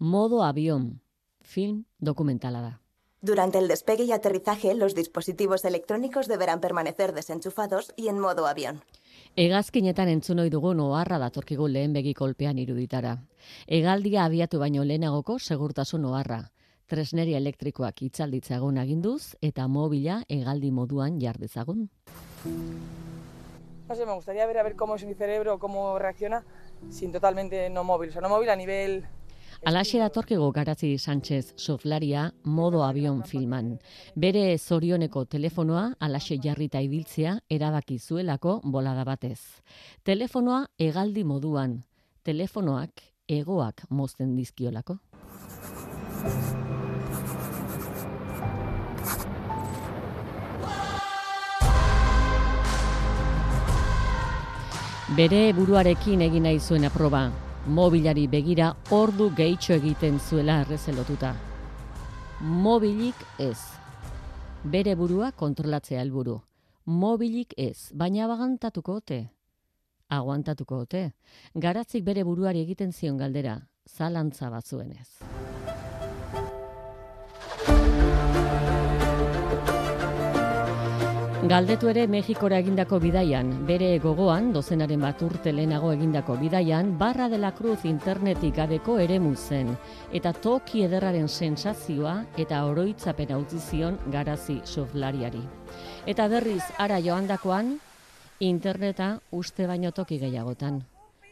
Modo avión, film dokumentala da. Durante el despegue y aterrizaje, los dispositivos electrónicos deberán permanecer desenchufados y en modo avión. Hegazkinetan entzun ohi dugun oharra datorkigu lehen begi kolpean iruditara. Hegaldia abiatu baino lehenagoko segurtasun oharra. Tresneria elektrikoak itzalditzagun aginduz eta mobila hegaldi moduan jar dezagun. No sé, me gustaría ver a ver cómo es mi cerebro, cómo reacciona sin totalmente no móvil. O sea, no móvil a nivel... Alaxe datorkigu Garazi Sánchez surflaria modo avion filman. Bere zorioneko telefonoa alaxe jarrita ibiltzea erabaki zuelako bolada batez. Telefonoa hegaldi moduan, telefonoak hegoak mozten dizkiolako. Bere buruarekin egin nahi zuen aproba. Mobilari begira ordu gehitxo egiten zuela errezelotuta. Mobilik ez. Bere burua kontrolatzea helburu. Mobilik ez, baina abagantatuko ote. Aguantatuko ote. Garatzik bere buruari egiten zion galdera, zalantza batzuenez. Galdetu ere Mexikora egindako bidaian, bere gogoan, dozenaren bat urte lehenago egindako bidaian, Barra de la Cruz internetik gabeko eremu zen, eta toki ederraren sensazioa eta oroitzapena utzi zion Garazi surflariari. Eta berriz ara joandakoan, interneta uste baino toki gehiagotan.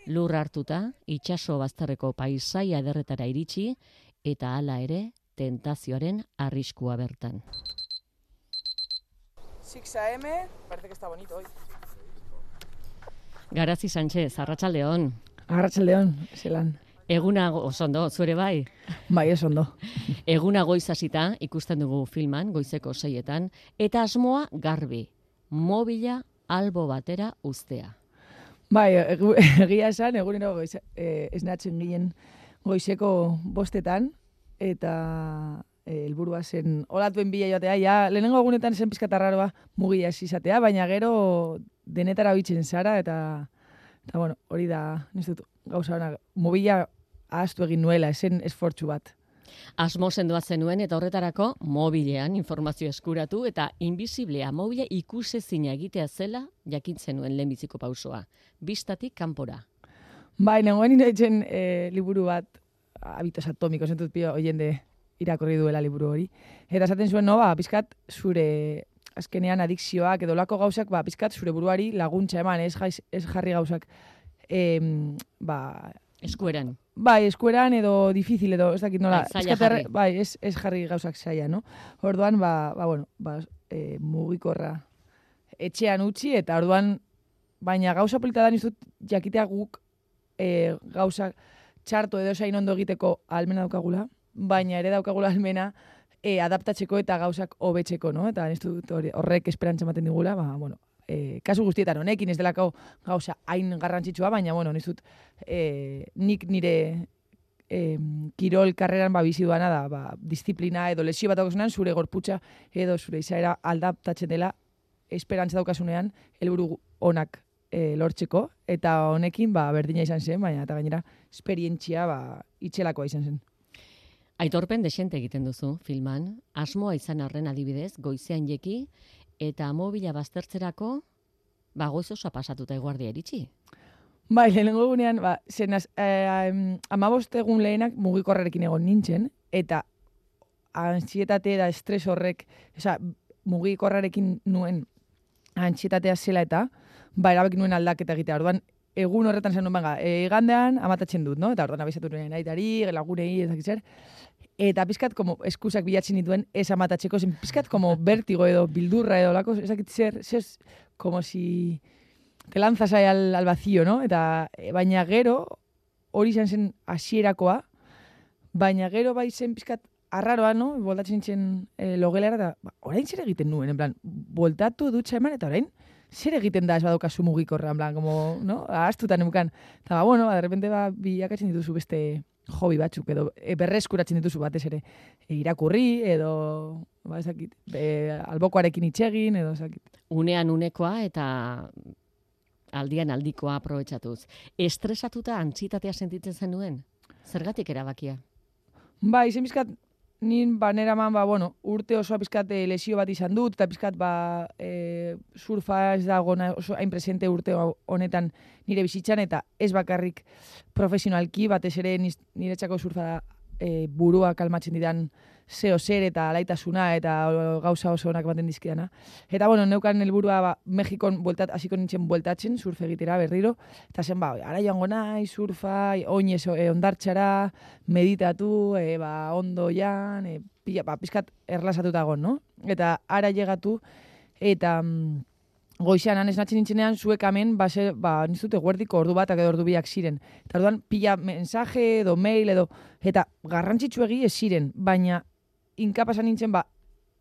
Lur hartuta, itsaso bazterreko paisaia ederretara iritsi, eta hala ere, tentazioaren arriskua bertan. 6 AM, parece que está bonito hoy. Garazi Sánchez, arratsaldeon. Arratsaldeon, zelan. Eguna osondo, zure bai? Bai, osondo. Eguna goiz hasita ikusten dugu filman, goizeko 6etan, eta asmoa garbi, mobila albo batera uztea. Bai, egia esan, egunero esnatzen ginen goizeko 5etan, eta helburua zen olatuen bila joatea, ja, lehenengo egunetan zen pizkatarraroa mugia ez izatea, baina gero denetara bitzen zara, eta bueno, hori da, nizut, gauza hona, mobila ahaztu egin nuela, esen esfortzu bat. Asmo sendoa zenuen eta horretarako mobilean informazio eskuratu eta invisiblea mobila ikusezina egitea zela jakintzen nuen lehenbiziko pausoa. Bistatik kanpora. Bai, nengoen inoitzen liburu bat, Hábitos Atómicos, entut pio oiende irakorri duela liburu hori. Eta esaten zuen, no, pizkat zure azkenean adikzioak edo lako gauzak, pizkat zure buruari laguntza eman, ez jarri gauzak, eskueran. Bai, eskueran edo difícil edo, ez dakit nola. Zaila jarri. Bai, ez jarri gauzak zaila, no? Orduan, mugikorra etxean utzi, eta orduan, baina gauza polita da nizut jakitea guk gauzak txarto edo zain ondo egiteko almena daukagula, baina ere daukagula almena adaptatzeko eta gauzak hobetzeko, no? Eta nizut horrek esperantza ematen digula, kasu guztietan honekin ez delako gauza hain garrantzitsua, baina, nizut nik nire kirol karreran bizi duana da, disiplina edo lesio bat daukazunean, zure gorputza edo zure izaera aldaptatzen dela esperantza daukasunean helburu onak lortzeko, eta honekin berdina izan zen, baina eta gainera esperientzia itxelakoa izan zen. Aitorpen desente egiten duzu filman, asmoa izan arren adibidez, goizean jeki, eta mobila baztertzerako, goiz osoa pasatuta eguardia iritsi. Bai, lehenengo egunean, 15 egun lehenak mugikorrarekin egon nintzen, eta antsietate da estres horrek, mugikorrarekin nuen antsietatea zela eta, erabaki nuen aldaketa egitea. Orduan, egun horretan zen nuen, igandean amatatzen dut, no? Eta orduan abizatu nuen aitari, lagunei, ezakitzer. Eta pizkat, eskusak bilatzen dituen ez amatatzeko, zen pizkat, vertigo edo bildurra edo lako, ezakitzer, como si te lanzas ahí al vacío, no? Eta, baina gero, hori izan zen hasierakoa, baina gero bai zen pizkat arraroa, no? Boltatzen nintzen logelara, eta orain zer egiten nuen, en plan, boltatu dutxa eman, eta orain zer egiten da ez badaukazu mugikorra, en plan, como, no? Ahaztutan emukan. Eta, de repente bilakatzen dituzu beste hobi batzuk, edo berreskuratzen dituzu batez ere irakurri, edo albokoarekin itxegin, edo ezakit. Unean unekoa eta aldian aldikoa aprobetxatuz. Estresatuta antsitatea sentitzen zenuen? Zergatik erabakia? Bai, izen bizkat, nin baneraman, urte osoa pizkat lesio bat izan dut, eta pizkat surfa ez da gona oso hain presente urte honetan nire bizitzan, eta ez bakarrik profesionalki, batez ere niretzako surfa da burua kalmatzen didan zeo zer eta alaitasuna eta gauza oso onak baten dizkidana. Eta neukan helburua Mexikon hasiko nintzen bueltatzen, surf egitera berriro, eta zen ara joango nahi, surfa, oinez ondartxara, meditatu, ondo jan, pizkat erlasatuta egon, no? Eta ara llegatu, eta goizean esnatzen nintzenean, zuek hemen, nizute guerdiko ordu bat, edo ordu biak ziren. Eta orduan, pila mensaje, edo mail, eta garrantzitsuegi ez ziren, baina inkapasan nintzen,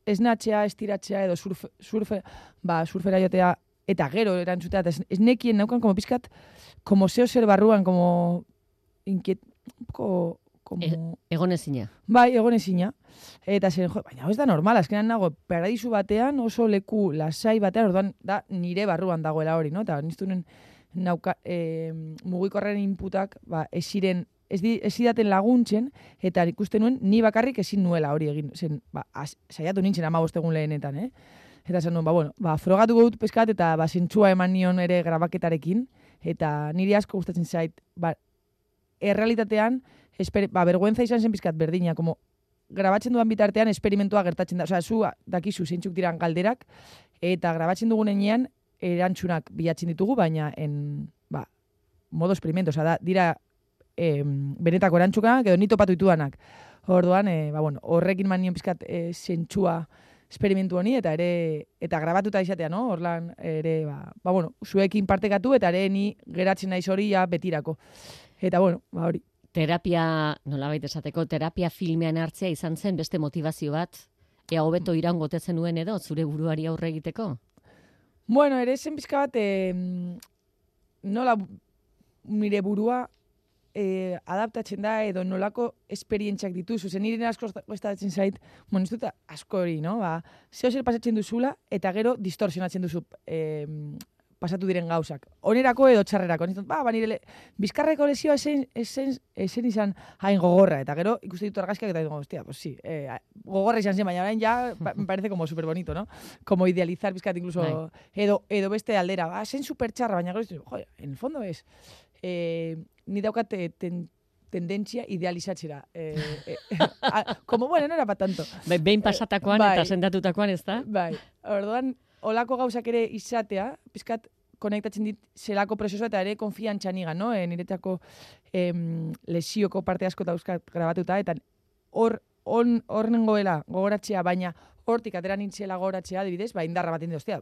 esnatzea, estiratzea, edo surfera jotea, eta gero erantzutea, eta ez nekien naukan, como pizkat, como zeo zer barruan, como egonezina. Bai, egonezina. Eta zen, baina ez da normal, azkenan nago, paradisu batean, oso leku lasai batean, orduan da nire barruan dagoela hori, no? Eta niztunen mugikorraren inputak, ez zidaten laguntzen, eta ikusten nuen, ni bakarrik ezin nuela hori egin. Zen, saiatu nintzen 15 egun lehenetan, Eta zen nuen, frogatuko dut peskat, eta zentzua eman nion ere grabaketarekin, eta niri asko gustatzen zait, errealitatean, vergüenza izan zen pizkat berdina, como grabatzen duan bitartean esperimentua gertatzen da. Osea, zu dakizu zeintzuk diran galderak, eta grabatzen dugunean erantzunak bilatzen ditugu, baina modo experimento, osea, dira benetako erantzunak, edo ni topatu ditudanak. Orduan, horrekin man nion pizkat zentzua esperimentu honi, eta grabatuta izatea, no? Orlan ere, zuekin partekatu, eta ere ni geratzen naiz hori betirako. Eta hori. Terapia, nolabait esateko, terapia filmean hartzea izan zen beste motivazio bat, ea hobeto iraungote zenuen edo, zure buruari aurre egiteko? Ere zen pizka bat, nola nire burua adaptatzen da, edo nolako esperientziak dituzu. Zen nire asko gostatzen zait, ez dut asko hori, no? Zeo zer pasatzen duzula, eta gero distorsionatzen duzu pasatu diren gauzak. Onerako edo txarrerako. Nire bizkarreko lesioa esen izan hain gogorra. Eta gero ikuste ditu argazkiak eta digo, hostia, pues sí, gogorra izan zen, baina orain ja me parece como super bonito, ¿no? Como idealizar bizkat incluso, edo beste aldera. Zen super txarra, baina gero, joder, en el fondo es, ni daukat tendentzia idealizatzera. Como, no era pa tanto. Behin pasatakoan eta sendatutakoan, ez da? Bai, orduan, olako gauzak ere izatea, pizkat konektatzen dit zelako prozesua eta ere konfiantza nigan, no? Niretzako lesioko parte asko dauzkat grabatuta, eta hor nengoela gogoratzea, baina hortik atera nintzela gogoratzea, adibidez, indarra bat indi, ostia,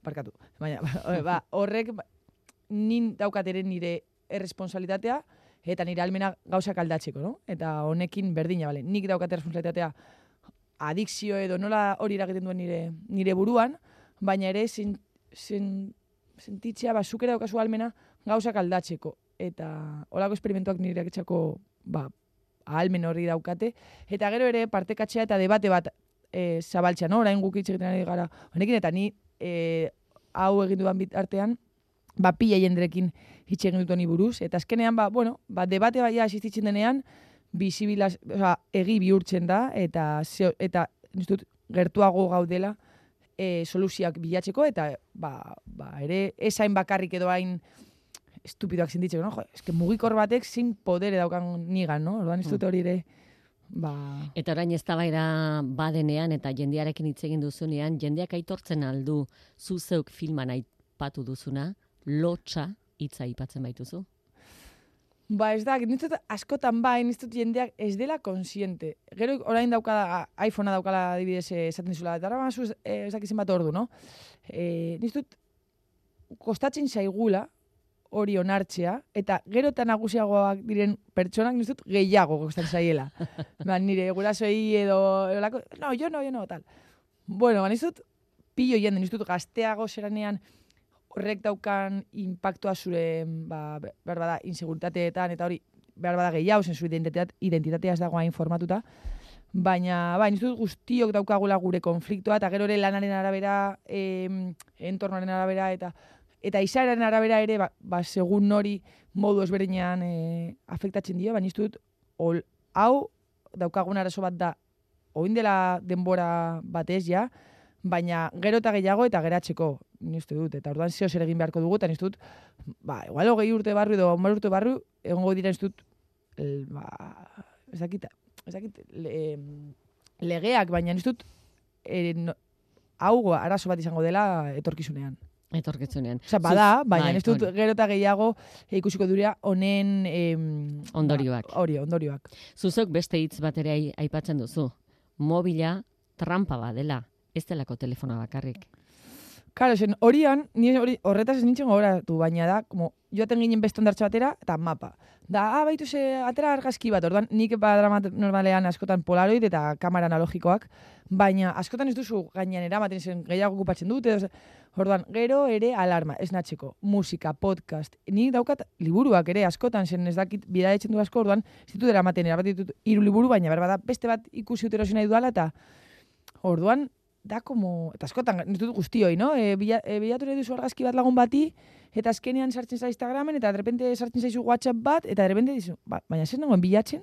parkatu. Baina, horrek nin daukat ere nire erresponsabilitatea, eta nire almena gauzak aldatzeko, no? Eta honekin berdina, bale? Nik daukat erresponsabilitatea adikzio edo nola hori eragiten duen nire buruan, baina ere sentitzea, zuk ere daukazu almena gauzak aldatzeko. Eta holako esperimentuak nireak etxako ahalmen hori daukate. Eta gero ere partekatzea eta debate bat zabaltzea, no? Orain guk hitz egiten ari gara honekin, eta ni hau egin duan bitartean, pila jenderekin hitz egin dut honi buruz. Eta azkenean, debate baia asistitzen denean, egi bihurtzen da, eta niztut gertuago gaudela soluzioak bilatzeko, eta ere esain bakarrik edo hain estupidoak zinditzeko, no? Eske mugikor batek zin podere daukan nigan, no? Orduan niztut hori ere, Eta orain eztabaida badenean eta jendearekin hitz egin duzunean, jendeak aitortzen aldu zu zeuk filman aipatu duzuna, lotsa hitza aipatzen baituzu? Ez da, nintzut askotan nintzut jendeak ez dela konsiente. Gero orain daukala, iPhonea daukala adibidez esaten dizula, eta ara mazu ez dakizin bat ordu, no? Nintzut kostatzen zaigula hori onartzea, eta gero eta nagusiagoak diren pertsonak nintzut gehiago kostatzen zaiela. Nire gurasoei edo, no, yo no, tal. Nintzut pilo jende, nintzut gazteago zeranean, horrek daukan impactua zure, behar bada, inseguritateetan, eta hori, behar bada gehiago, zen zure identitatea ez dagoa informatuta, baina, nizut guztiok daukagula gure konfliktoa, eta gero ere lanaren arabera, entornoaren arabera, eta izaeraren arabera ere, segun hori modu ezberdinean afektatzen dio, baina nizut, hau daukagun arazo bat da, oin dela denbora batez ja, baina gero eta gehiago eta geratzeko, ni uste dut, eta orduan zeo zer egin beharko dugu, eta ni uste dut, igual 20 urte barru edo 10 urte barru, egongo dira ez dut, ez dakit, legeak, baina ni uste dut, hau arazo bat izango dela etorkizunean. Etorkizunean. Osa, bada, baina ez dut gero eta gehiago ikusiko durea honen ondorioak. Ondorioak. Zuzok beste hitz bat ere aipatzen duzu. Mobila trampa badela, ez delako telefona bakarrik. Karo, horretaz ez nintzen gogoratu, baina da, como, joaten ginen beste ondartxo batera, eta mapa. Da, baitu atera argazki bat, orduan nik badramat normalean askotan polaroid eta kamera analogikoak, baina askotan ez duzu gainean eramaten zen gehiago okupatzen dut, edo, orduan, gero ere alarma, esnatzeko, musika, podcast, nik daukat liburuak ere askotan zen ez dakit bidaetzen du asko, orduan, ez ditut eramaten erabatitut 3 liburu, baina berbada beste bat ikusi utero nahi duala, eta orduan, da como, eta askotan, ez dut guztioi, no? Bilatu nahi duzu argazki bat lagun bati, eta azkenean sartzen za Instagramen, eta derrepente sartzen zaizu WhatsApp bat, eta derrepente dizu, baina zer nagoen bilatzen?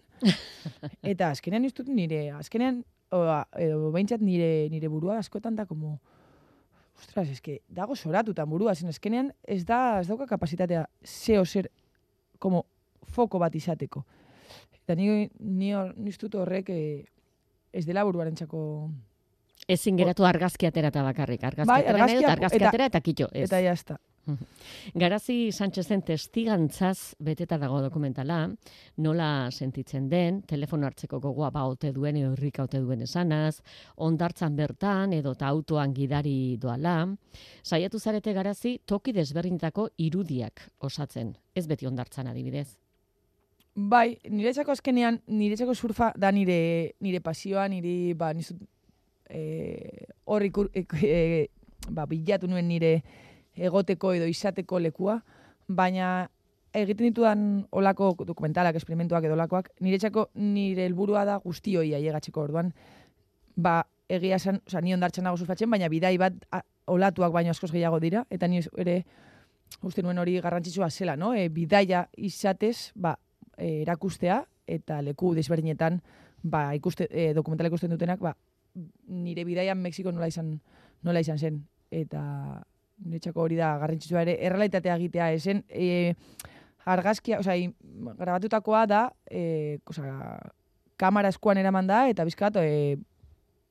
Eta azkenean ez dut azkenean, edo behintzat nire burua askotan da como, ostras, eske, dago zoratutan burua, zen azkenean ez dauka kapasitatea zeo zer, como, foko bat izateko. Eta ni dut horrek ez dela buruarentzako. Ezin geratu argazki aterata bakarrik. Argazki atera eta kitxo. Eta jazta. Garazi Sánchezen testigantzaz beteta dago dokumentala, nola sentitzen den, telefono hartzeko gogoa ote duen edo irrika ote duen esanaz, ondartzan bertan edo eta autoan gidari doala. Saiatu zarete Garazi toki desberdinetako irudiak osatzen, ez beti ondartzan adibidez. Bai, niretzako azkenean, niretzako surfa da nire pasioa, nizut horri bilatu nuen nire egoteko edo izateko lekua, baina egiten ditudan olako dokumentalak, esperimentuak edo olakoak, niretzako nire helburua da guztioi ailegatzeko orduan, egia esan, ni ondartzan nago surfatzen, baina bidai bat olatuak baino askoz gehiago dira, eta ni ere uste nuen hori garrantzitsua zela, no? Bidaia izatez, erakustea, eta leku desberdinetan, dokumentala ikusten dutenak, nire bidaian Mexiko nola izan zen. Eta niretzako hori da garrantzitsua ere, errealitatea egitea esen, argazkia, grabatutakoa da, kamera eskuan eraman da, eta bizkat,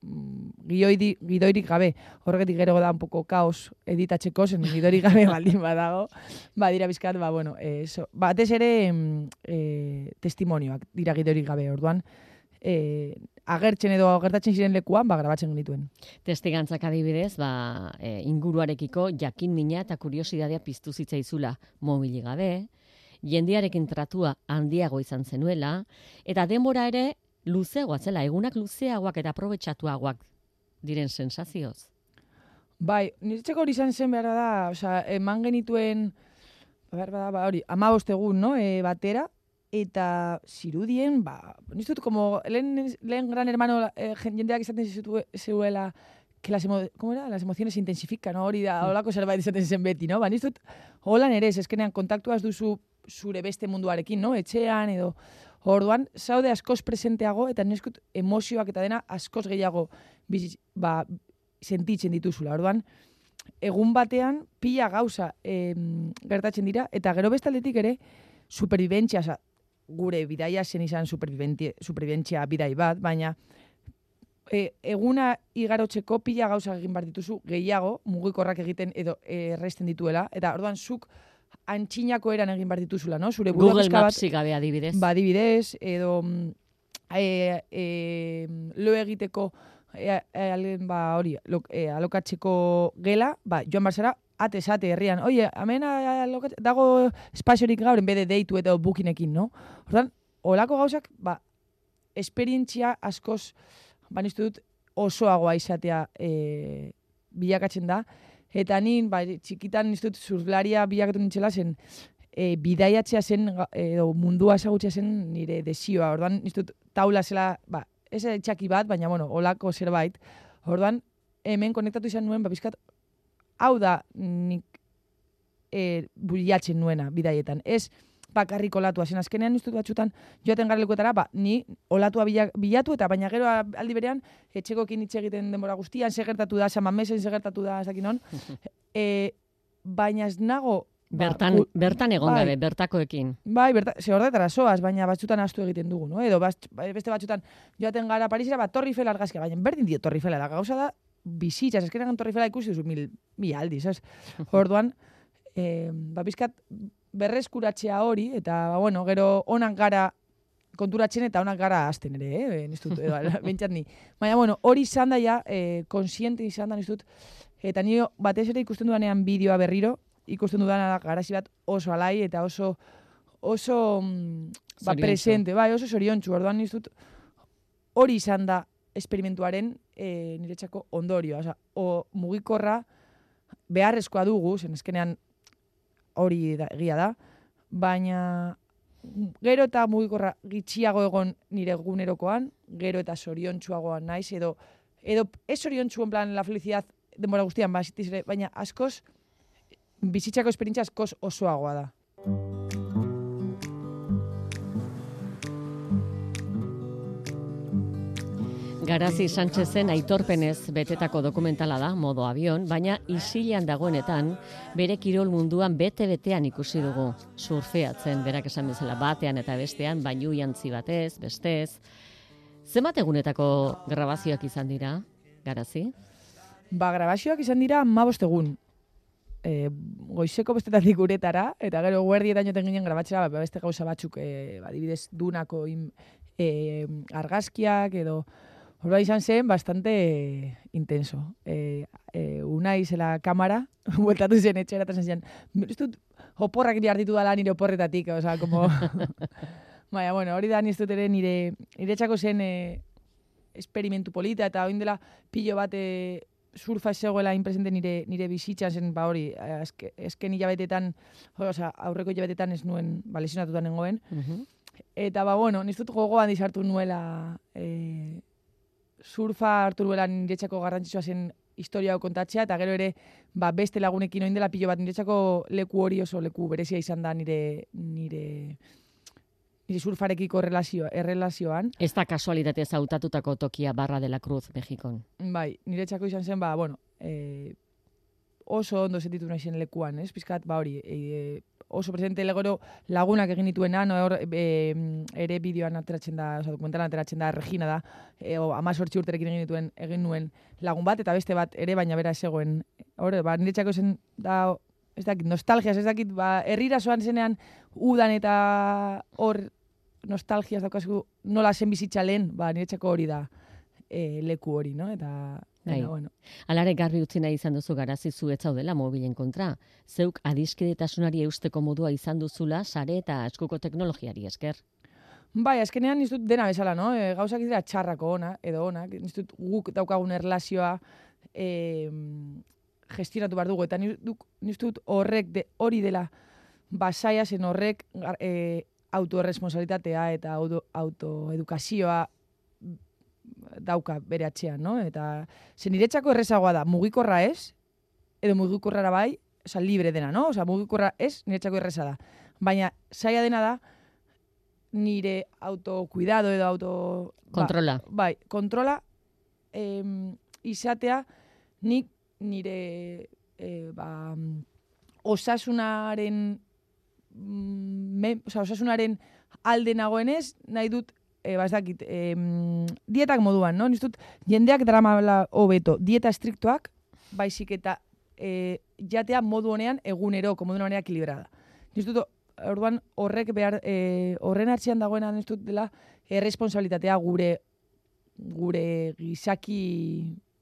gidoirik gabe. Horregatik gero da un poco kaos editatzeko, zen gidoirik gabe baldin badago. Dira bizkat, batez ere testimonioak dira gidoirik gabe, orduan, agertzen edo agertatzen ziren lekuan, grabatzen genituen. Testigantzak adibidez, inguruarekiko jakin mina eta kuriosidadea piztu zitzaizula mobili gabe, jendearekin tratua handiago izan zenuela, eta denbora ere luzeagoa zela, egunak luzeagoak eta aprobetxatuagoak diren sensazioz. Bai, niretzeko hori izan zen behar da, eman genituen, hori, 15 egun, no, batera, eta zirudien, niztut, como lehen gran hermano jendeak izaten zeuela, que las emociones intensifican, no? Hori da, holako zerbait izaten zen beti, no? Niztut, holan ere, eskenean kontaktuaz duzu zure beste munduarekin, no? Etxean edo, orduan, zaude askoz presenteago, eta nizkut emozioak eta dena askoz gehiago sentitzen dituzula. Orduan, egun batean, pila gauza gertatzen dira, eta gero bestaldetik ere, superviventzia, gure bidaia zen izan superviventzia bidai bat, baina eguna igarotzeko pila gauza egin behar dituzu gehiago, mugikorrak egiten edo erresten dituela, eta orduan zuk antxinako eran egin behar dituzula, no? Zure Google Mapsik gabe adibidez. Adibidez, edo lo egiteko alokatzeko gela, joan barzara, ate herrian, oie, hemen dago espaziorik gaur, en bede deitu eta bookinekin, no? Ordan, olako gauzak, esperientzia askoz, niztu dut, osoagoa izatea bilakatzen da, eta nin, txikitan niztu dut, surflaria bilakatu nintzela zen, bidaiatzea zen, edo mundua ezagutzea zen nire desioa, ordan, niztu dut, taula zela, ez txaki bat, baina, olako zerbait, ordan, hemen konektatu izan nuen, bizkat, hau da nik bilatzen nuena bidaietan. Ez bakarrik olatua. Zen azkenean ustut batzutan joaten gara lekuetara, ni olatua bilatu eta baina gero aldi berean etxekoekin hitz egiten denbora guztian, segertatu da, Samamesen segertatu da, ez dakit non. Baina ez nago... Bertan egon gabe, bertakoekin. Bai, ze horretara soaz, baina batzutan ahaztu egiten dugu, no? Edo beste batzutan joaten gara Parisera, Torre Eiffel argazkia, baina berdin dio Torre Eiffela, da gauza da bizitzaz, eskenean Torre Eiffela ikusi duzu mil aldiz, ez? Orduan, bizkat berreskuratzea hori, eta, bueno, gero onak gara konturatzen eta onak gara azten ere, niztut, bentsat ni. Baina, bueno, hori izan da ja, konsiente izan da niztut, eta ni batez ere ikusten dudanean bideoa berriro, ikusten dudana garazi bat oso alai eta oso presente, bai, oso zoriontsu. Orduan niztut hori izan da esperimentuaren niretzako ondorioa. Osa, mugikorra beharrezkoa dugu, zen eskenean hori egia da, baina gero eta mugikorra gitxiago egon nire egunerokoan, gero eta zoriontsuagoan naiz, edo ez zoriontsu en plan la felicidad denbora guztian, baina askoz bizitzako esperientzia askoz osoagoa da. Garazi Sánchezen aitorpenez betetako dokumentala da, Modo Avion, baina isilean dagoenetan bere kirol munduan bete-betean ikusi dugu. Surfeatzen, berak esan bezala batean eta bestean, bainu jantzi batez, bestez. Zenbat egunetako grabazioak izan dira, Garazi? Grabazioak izan dira 15 egun. Goizeko bestetatik uretara, eta gero guerdietan joten ginen grabatzera beste gauza batzuk, adibidez Dunako argazkiak edo horba izan zen bastante intenso. Unai zela kamara, bueltatu zen etxera eta zen ez dut oporrak ditu dala nire oporretatik, oza, como... Baina, bueno, hori da niztut ere nire txako zen esperimentu polita eta oin dela pilo bat surfa zegoela inpresente nire bizitzan zen, hori, esken hilabetetan, aurreko hilabetetan ez nuen lesionatutan nengoen. Eta, bueno, niztut gogoan dizartu nuela surfa hartu nuela niretzako garrantzitsua zen historia hau kontatzea, eta gero ere beste lagunekin oin dela pilo bat niretzako leku hori oso leku berezia izan da nire surfarekiko errelazioan. Ez da kasualitatez hautatutako tokia Barra de la Cruz, Mexikon. Bai, niretzako izan zen, oso ondo sentitu nahi zen lekuan, ez? Pizkat, hori, oso presente legoro lagunak egin dituena, ere bideoan ateratzen da, dokumentalan ateratzen da, Regina da, 18 urterekin egin nuen lagun bat, eta beste bat ere, baina bera ezegoen. Niretzako zen da, ez dakit, nostalgiaz, ez dakit, herrira zoan zenean udan eta hor nostalgiaz daukazu nola zen bizitza lehen, niretzako hori da leku hori, no? Eta, bueno. Alare garbi utzi nahi izan duzu Garazi zu ez zaudela mobilen kontra. Zeuk adiskidetasunari eusteko modua izan duzula sare eta eskuko teknologiari esker. Bai, azkenean niztut dena bezala, no? Gauzak dira txarrako edo onak, niztut guk daukagun erlazioa gestionatu behar dugu, eta niztut hori dela basaia zen horrek autoerresponsabilitatea eta autoedukazioa dauka bere atxean, no? Eta niretzako errezagoa da, mugikorra ez, edo mugikorrara bai, libre dena, no? Mugikorra ez, niretzako erreza da. Baina saia dena da, nire autokuidado edo kontrola. Bai, kontrola izatea nik nire osasunaren alde nagoenez, nahi dut dietak moduan, no? Niztut, jendeak daramala hobeto, dieta estriktoak, baizik eta jatea modu honean egunero, modu honean ekilibrada. Niztut, orduan horren hartzean dagoena niztut dela erresponsabilitatea gure gizaki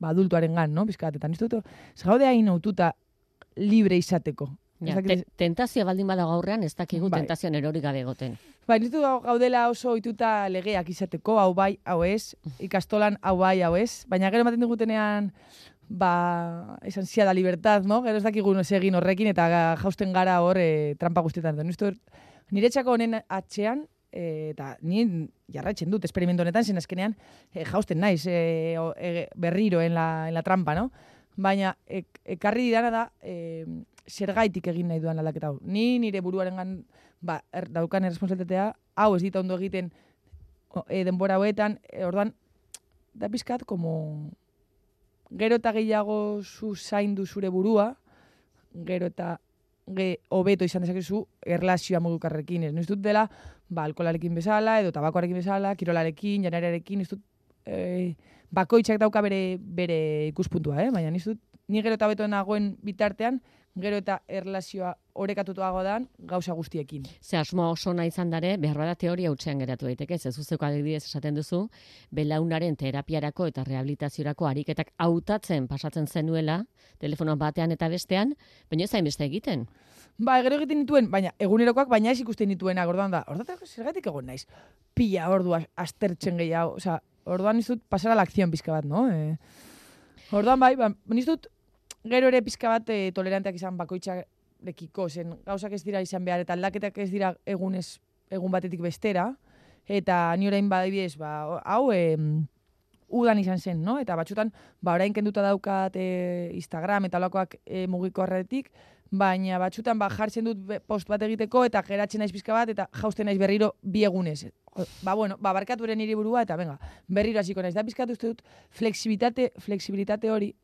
adultuaren gan, no? Bizkat, eta niztut, gaude hain aututa libre izateko. Tentazioa baldin badago aurrean, ez dakigu tentazioan erori gabe egoten. Niztut gaudela oso ohituta legeak izateko, hau bai, hau ez, ikastolan hau bai, hau ez, baina gero ematen digutenean esan zia da libertad, no? Gero ez dakigu egin horrekin eta jausten gara hor trampa guztietan. Niretzako honen atxean, eta ni jarraitzen dut esperimentu honetan, zen azkenean jausten naiz berriro en la trampa, no? Baina ekarri didana da zergaitik egin nahi duan aldaketa hau. Ni nire buruarengan daukan erresponsalitatea, hau ez dita ondo egiten denbora hoetan, orduan, da pizkat, como gero eta gehiago zu zaindu zure burua, gero eta hobeto izan dezakezu erlazioa mugikorrekin. Ez dut dela, alkoholarekin bezala, edo tabakoarekin bezala, kirolarekin, janariarekin, ez dut bakoitzak dauka bere ikuspuntua, baina ez dut ni gero eta hobeto nagoen bitartean, gero eta erlazioa orekatutuago dan gauza guztiekin. Ze asmoa oso nahi izan dare, behar bada teoria hutsean geratu daiteke, ez zuzeko adibidez esaten duzu, belaunaren terapiarako eta rehabilitaziorako ariketak hautatzen pasatzen zenuela, telefono batean eta bestean, baina ez hainbeste egiten. Gero egiten nituen, baina egunerokoak baina ez ikusten nituenak, orduan da, zergatik egon naiz, pila ordua aztertzen gehiago, orduan nizut pasara la acción pizka bat, no? Orduan nizut gero ere pizka bat toleranteak izan bakoitzarekiko, zen gauzak ez dira izan behar, eta aldaketak ez dira egun batetik bestera, eta ni orain badibidez, hau udan izan zen, no? Eta batzutan, orain kenduta daukat Instagram eta olakoak mugikorretik, baina batzutan jartzen dut post bat egiteko, eta geratzen naiz pizka bat, eta jausten naiz berriro 2 egunez. Barkatu ere niri burua, eta berriro hasiko naiz. Da pizkatu uste dut flexibilitate hori,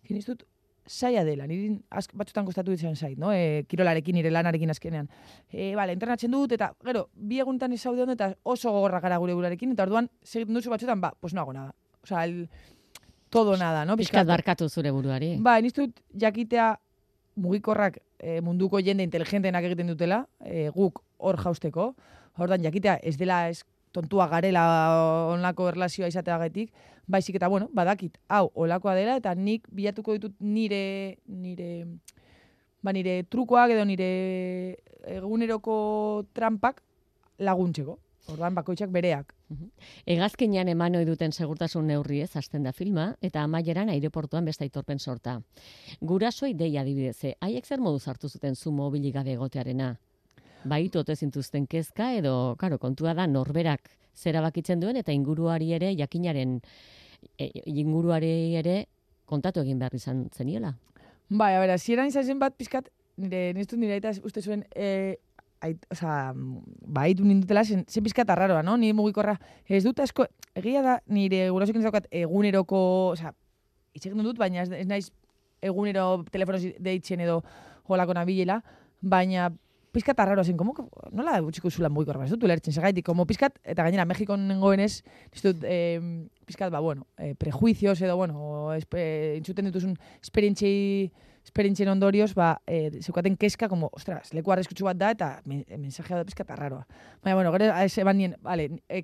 ez dut zaila dela, niri batzutan kostatu ditzen zait, no? Kirolarekin, nire lanarekin azkenean. Entrenatzen dut, eta gero, 2 egunetan ez zaude ondo, eta oso gogorrak gara gure burarekin, eta orduan, segiten duzu batzutan, pues no hago nada. Todo nada, no? Pizkat barkatu zure buruari. Niz dut jakitea mugikorrak munduko jende inteligentenak egiten dutela, guk hor jausteko, orduan jakitea ez dela tontua garela onlako erlazioa izateagatik, baizik eta, badakit, hau, olakoa dela, eta nik bilatuko ditut nire trukoak edo nire eguneroko trampak laguntzeko. Orduan bakoitzak bereak. Hegazkinean eman ohi duten segurtasun neurriez hasten da filma, eta amaieran aireportuan beste aitorpen sorta. Gurasoi deia adibidez, haiek zer moduz hartu zuten zu mobilik gabe egotearena? Baitu ote zintuzten kezka edo, kontua da norberak zera bakitzen duen eta inguruari ere kontatu egin behar izan zeniela. Zieran izan zen bat pizkat, nire aita uste zuen, baitu nindutela, zen pizkat arraroa, no? Nire mugikorra ez dut asko, egia da, nire gurasoekin ez daukat eguneroko, itxegin dut, baina ez naiz egunero telefonoz deitzen edo holako nabilela, baina pizkat arraroa zen, nola utxiko zula mugikorra, ez dut ulertzen, segaitik, pizkat, eta gainera Mexikon nengoenez, ez dut pizkat, prejuicios edo, entzuten dituzun esperientzien ondorioz, zeukaten keska, ostras, leku arreskutsu bat da, eta mensajea da pizkat arraroa. Baina, gero, eban nien,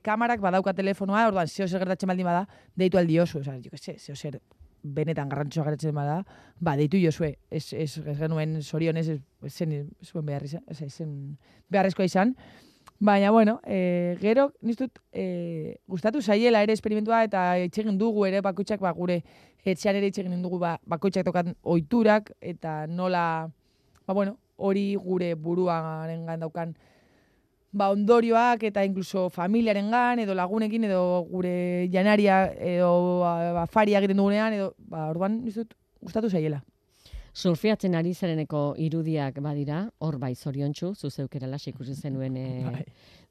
kamarak badauka telefonoa, orduan, zehozer gertatzen baldin bada, deitu aldi oso, zehozer benetan garrantzua geratzen bada, deitu jozue, ez genuen zorionez, zuen beharrezkoa izan. Baina, gero, niztut, gustatu zaiela ere esperimentua, eta itxegin dugu ere bakoitzak, gure etxean ere itxegin dugu bakoitzak tokan ohiturak, eta nola, hori gure buruaren daukan, ondorioak eta inkluso familiarengan edo lagunekin edo gure janaria edo afaria egiten dugunean edo orduan nizut gustatu zaiela. Surfiatzen ari zareneko irudiak badira, hor zoriontsu, zuzeukera las ikusi zenuen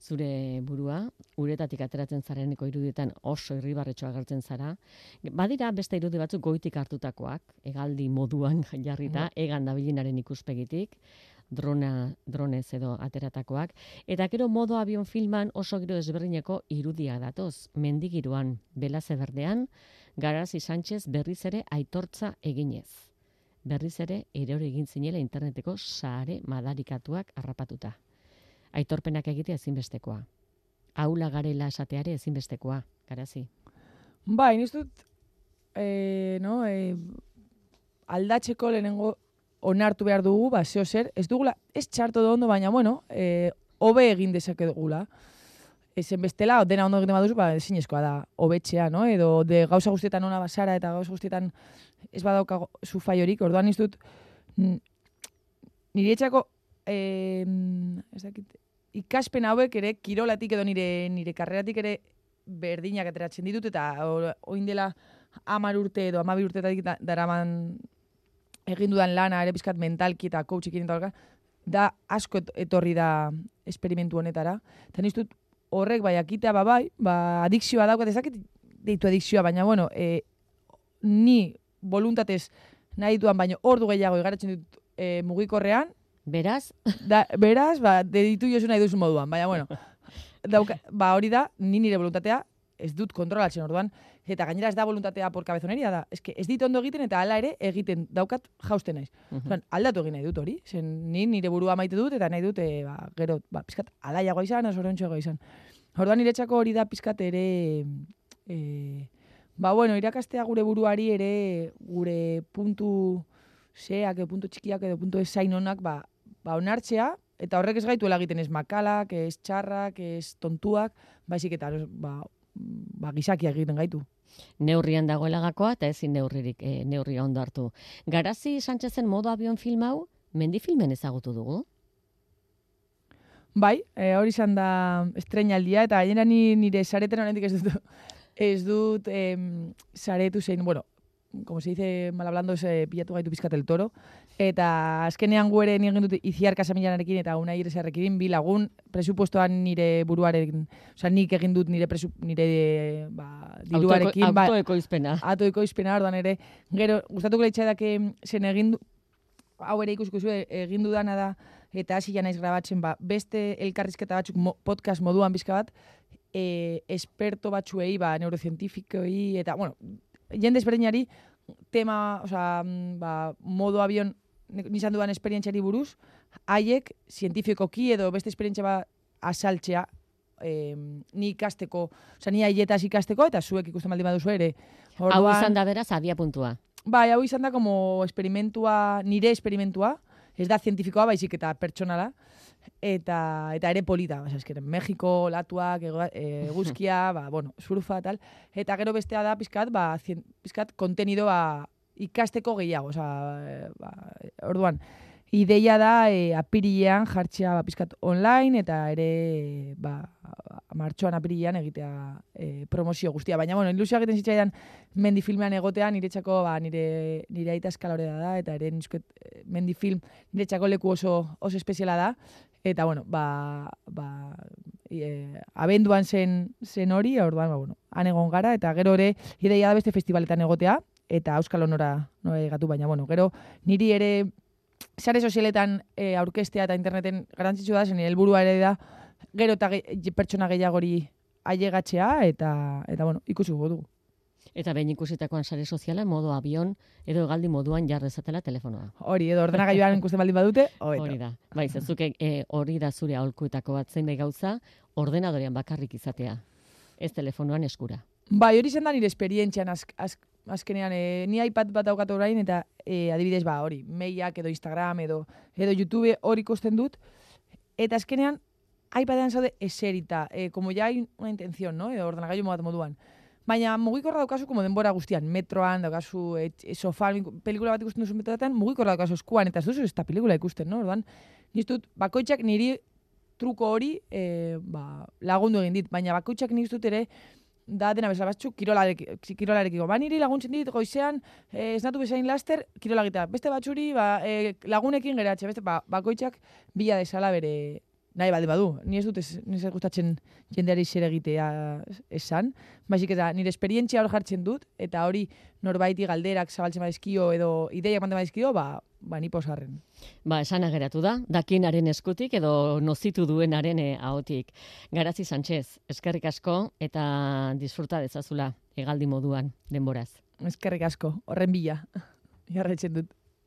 zure burua, uretatik ateratzen zareneko irudietan oso irribarretxoa agertzen zara. Badira beste irudi batzuk goitik hartutakoak, hegaldi moduan jarrita, hegan dabilinaren ikuspegitik, dronez edo ateratakoak, eta gero modo avion filman oso giro desberdineko irudia datoz, mendigiruan, Belaze Berdean, Garazi Sánchez berriz ere aitortza eginez. Berriz ere erori egin zinela interneteko sare madarikatuak harrapatuta. Aitorpenak egitea ezinbestekoa. Aula garela esateare ezinbestekoa, Garazi. Niz dut, aldatzeko lehenengo onartu behar dugu, zehozer, ez dugula, ez txarto da ondo, baina, hobe egin dezake dugula. Ezen bestela, dena ondo egiten baduzu, ezinezkoa da, hobetxea, no? Edo gauza guztietan ona basara eta gauza guztietan ez badauka zu faiorik, orduan ez dut, nire etxako, ikaspen hauek ere, kirolatik edo nire karreratik ere berdinak ateratzen ditut, eta oin dela 10 urte edo 12 urteetatik daraman egin dudan lana ere pizkat mentalki eta coachik egin da asko etorri da esperimentu honetara. Eta niztut horrek bai akitea adikzioa daukat, ezakit deitu adikzioa, baina bueno, ni voluntatez nahi duan, baina ordu gehiago igaratzen dut mugikorrean. Beraz? Beraz, deitu jozu nahi duzu moduan, baina bueno, hori da, nire voluntatea ez dut kontrolatzen orduan, eta gainera ez da voluntatea por cabezoneria da. Ez dit ondo egiten eta hala ere egiten daukat jausten naiz. Aldatu egin nahi dut hori, zen nire burua maite dut eta nahi dut gero pizkat alaiagoa izan, zoriontsuagoa izan. Orduan niretzako hori da pizkat ere irakastea gure buruari ere gure puntu zeak, puntu txikiak edo puntu ezain honak onartzea, eta horrek ez gaituela egiten ez makalak, ez txarrak, ez tontuak, baizik eta gizakiak egiten gaitu. Neurrian dagoela gakoa eta ezin neurria ondo hartu. Garazi Sánchezen modo avion film hau, mendifilmen ezagutu dugu? Bai, hori izan da estreinaldia, eta gainera nire sareten horrendik ez dut saretu zein, bueno, como se dice mal hablando, pilatu gaitu pizkat el toro, eta azkenean gu ere egin dut Itziar Casamillanarekin eta Unai Iresarrekin bi lagun presupuestoan nire buruaren, osea nik egin dut nire diruarekin autoekoizpena. Autoekoizpena, orduan ere, gero gustatuko leitzaidak zen egin hau ere ikusiko zu egin dudana da eta hasi ja naiz grabatzen beste elkarrizketa batzuk podcast moduan bizka bat, esperto batzuei, neurocientifikoi eta bueno, jende ezberdinari tema, modo avion nizan dudan esperientziari buruz, haiek zientifikoki edo beste esperientzia asaltzea ni ikasteko, ni haietaz ikasteko eta zuek ikusten baldin baduzu ere. Hau izan da beraz abia puntua. Bai, hau izan da como nire esperimentua, ez da zientifikoa baizik eta pertsonala, eta ere polita, Mexiko, latuak, eguzkia, surfa, tal, eta gero bestea da pizkat kontenidoa ikasteko gehiago, orduan, ideia da apirilean jartzea pizkat online, eta ere martxoan apirilean egitea promozio guztia, baina ilusioa egiten zitzaidan mendifilmean egotean, niretzako nire aita eskalorea da, eta ere mendifilm niretzako leku oso espeziala da, eta abenduan zen hori, orduan, han egon gara, eta gero ere ideia da beste festivaletan egotea, eta Euskal Honora egatu, baina, gero niri ere sare sozialetan aurkestea eta interneten garrantzitsua da, zen helburua ere da, gero eta pertsona gehiagori ailegatzea, eta ikusiko dugu. Eta behin ikusitakoan sare soziala, modo avion, edo hegaldi moduan jarrezatela telefonoa. Hori, edo ordenagailuan ikusten baldin badute, hori da. Bai, zezuke hori da zure aholkuetako bat zein gauza, ordenadorean bakarrik izatea. Ez telefonoan eskura. Bai, hori zen da nire esperientzian azkenean, ni iPad bat daukat orain, eta adibidez, hori, mailak edo Instagram edo YouTube hori ikusten dut, eta azkenean iPadean zaude eserita, como ya hay una intención, ¿no? Edo ordenagailu moduan. Baina mugikorra daukazu como denbora guztian, metroan, daukazu sofan, pelikula bat ikusten duzu metroetan, mugikorra daukazu eskuan, eta ez duzu ez da pelikula ikusten, no? Orduan, niztut, bakoitzak niri truko hori lagundu egin dit, baina bakoitzak niztut ere, da dena bezala batzuk kirolarekiko. Niri laguntzen dit, goizean, esnatu bezain laster, kirola egitea. Beste batzuri, lagunekin geratxe, beste, bakoitzak bila desala bere nahi badu. Ni ez dut ez gustatzen jendeari zer egitea esan, baizik eta nire esperientzia hor jartzen dut, eta hori norbaiti galderak zabaltzen badizkio edo ideiak manten badizkio, ni posarren. Esan ageratu da, dakinaren eskutik edo nozitu duenaren ahotik. Garazi Sánchez, eskerrik asko eta disfruta dezazula hegaldi moduan denboraz. Eskerrik asko, horren bila, jarraitzen dut.